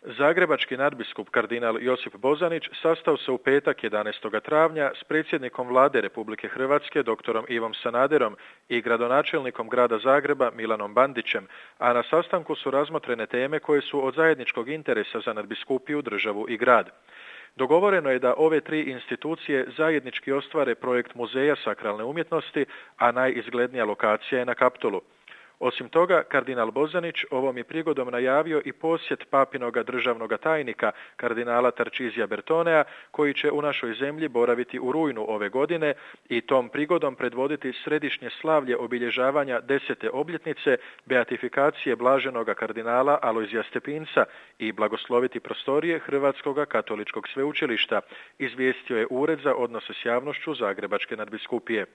Zagrebački nadbiskup kardinal Josip Bozanić sastao se u petak 11. travnja s predsjednikom Vlade Republike Hrvatske doktorom Ivom Sanaderom i gradonačelnikom grada Zagreba Milanom Bandićem, a na sastanku su razmotrene teme koje su od zajedničkog interesa za nadbiskupiju, državu i grad. Dogovoreno je da ove tri institucije zajednički ostvare projekt Muzeja sakralne umjetnosti, a najizglednija lokacija je na Kaptolu. Osim toga, kardinal Bozanić ovom je prigodom najavio i posjet papinoga državnoga tajnika, kardinala Tarčizija Bertonea, koji će u našoj zemlji boraviti u rujnu ove godine i tom prigodom predvoditi središnje slavlje obilježavanja 10. obljetnice beatifikacije blaženoga kardinala Alojzija Stepinca i blagosloviti prostorije Hrvatskog katoličkog sveučilišta, izvijestio je Ured za odnose s javnošću Zagrebačke nadbiskupije.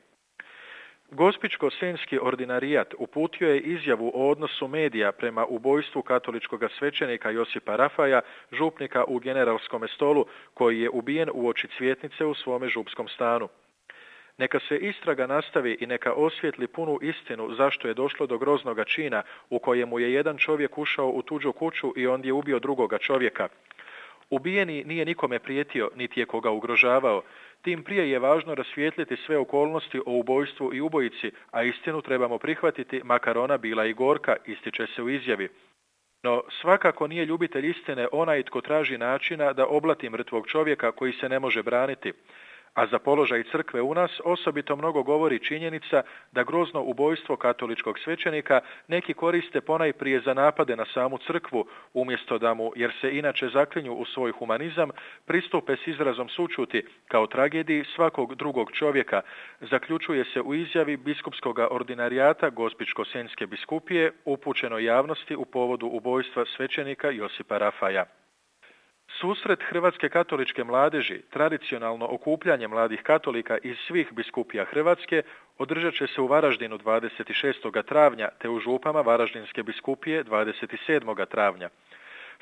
Gospićko-senjski ordinarijat uputio je izjavu o odnosu medija prema ubojstvu katoličkog svećenika Josipa Rafaja, župnika u Generalskome Stolu, koji je ubijen uoči Cvjetnice u svome župskom stanu. Neka se istraga nastavi i neka osvijetli punu istinu zašto je došlo do groznoga čina u kojemu je jedan čovjek ušao u tuđu kuću i ondje ubio drugoga čovjeka. Ubijeni nije nikome prijetio, niti je koga ugrožavao. Tim prije je važno rasvijetliti sve okolnosti o ubojstvu i ubojici, a istinu trebamo prihvatiti, makar ona bila i gorka, ističe se u izjavi. No, svakako nije ljubitelj istine onaj tko traži načina da oblati mrtvog čovjeka koji se ne može braniti. A za položaj crkve u nas osobito mnogo govori činjenica da grozno ubojstvo katoličkog svećenika neki koriste ponajprije za napade na samu crkvu, umjesto da mu, jer se inače zaklinju u svoj humanizam, pristupe s izrazom sućuti kao tragediji svakog drugog čovjeka, zaključuje se u izjavi biskupskog ordinarijata Gospićko-senjske biskupije upućenoj javnosti u povodu ubojstva svećenika Josipa Rafaja. Susret Hrvatske katoličke mladeži, tradicionalno okupljanje mladih katolika iz svih biskupija Hrvatske, održat će se u Varaždinu 26. travnja te u župama Varaždinske biskupije 27. travnja.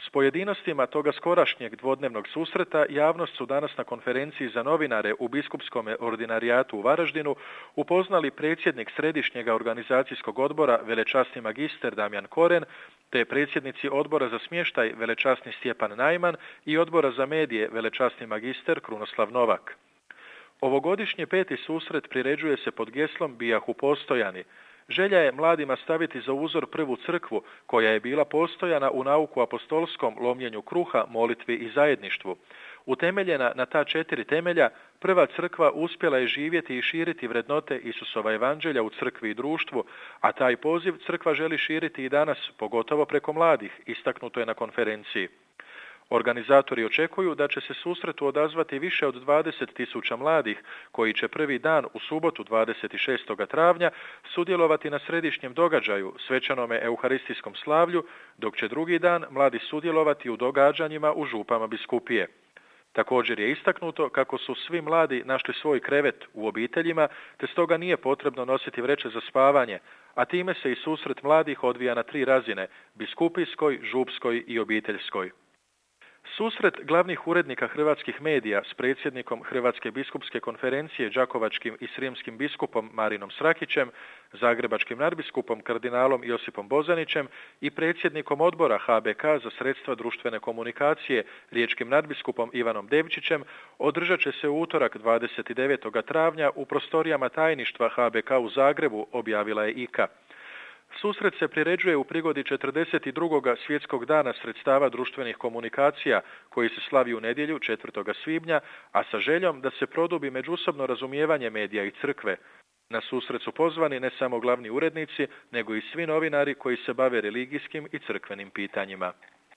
S pojedinostima toga skorašnjeg dvodnevnog susreta javnost su danas na konferenciji za novinare u biskupskom ordinarijatu u Varaždinu upoznali predsjednik Središnjeg organizacijskog odbora velečasni magister Damjan Koren, te predsjednici odbora za smještaj velečasni Stjepan Najman i odbora za medije velečasni magister Krunoslav Novak. Ovogodišnji peti susret priređuje se pod geslom Bijahu postojani. Želja je mladima staviti za uzor prvu crkvu, koja je bila postojana u nauku apostolskom, lomljenju kruha, molitvi i zajedništvu. Utemeljena na ta 4 temelja, prva crkva uspjela je živjeti i širiti vrednote Isusova evanđelja u crkvi i društvu, a taj poziv crkva želi širiti i danas, pogotovo preko mladih, istaknuto je na konferenciji. Organizatori očekuju da će se susretu odazvati više od 20.000 mladih, koji će prvi dan u subotu 26. travnja sudjelovati na središnjem događaju, svečanome euharistijskom slavlju, dok će drugi dan mladi sudjelovati u događanjima u župama biskupije. Također je istaknuto kako su svi mladi našli svoj krevet u obiteljima, te stoga nije potrebno nositi vreće za spavanje, a time se i susret mladih odvija na 3 razine, biskupijskoj, župskoj i obiteljskoj. Susret glavnih urednika hrvatskih medija s predsjednikom Hrvatske biskupske konferencije đakovačkim i srijemskim biskupom Marinom Srakićem, zagrebačkim nadbiskupom kardinalom Josipom Bozanićem i predsjednikom odbora HBK za sredstva društvene komunikacije riječkim nadbiskupom Ivanom Devčićem održat će se u utorak 29. travnja u prostorijama tajništva HBK u Zagrebu, objavila je IKA. Susret se priređuje u prigodi 42. svjetskog dana sredstava društvenih komunikacija, koji se slavi u nedjelju 4. svibnja, a sa željom da se produbi međusobno razumijevanje medija i crkve. Na susret su pozvani ne samo glavni urednici, nego i svi novinari koji se bave religijskim i crkvenim pitanjima.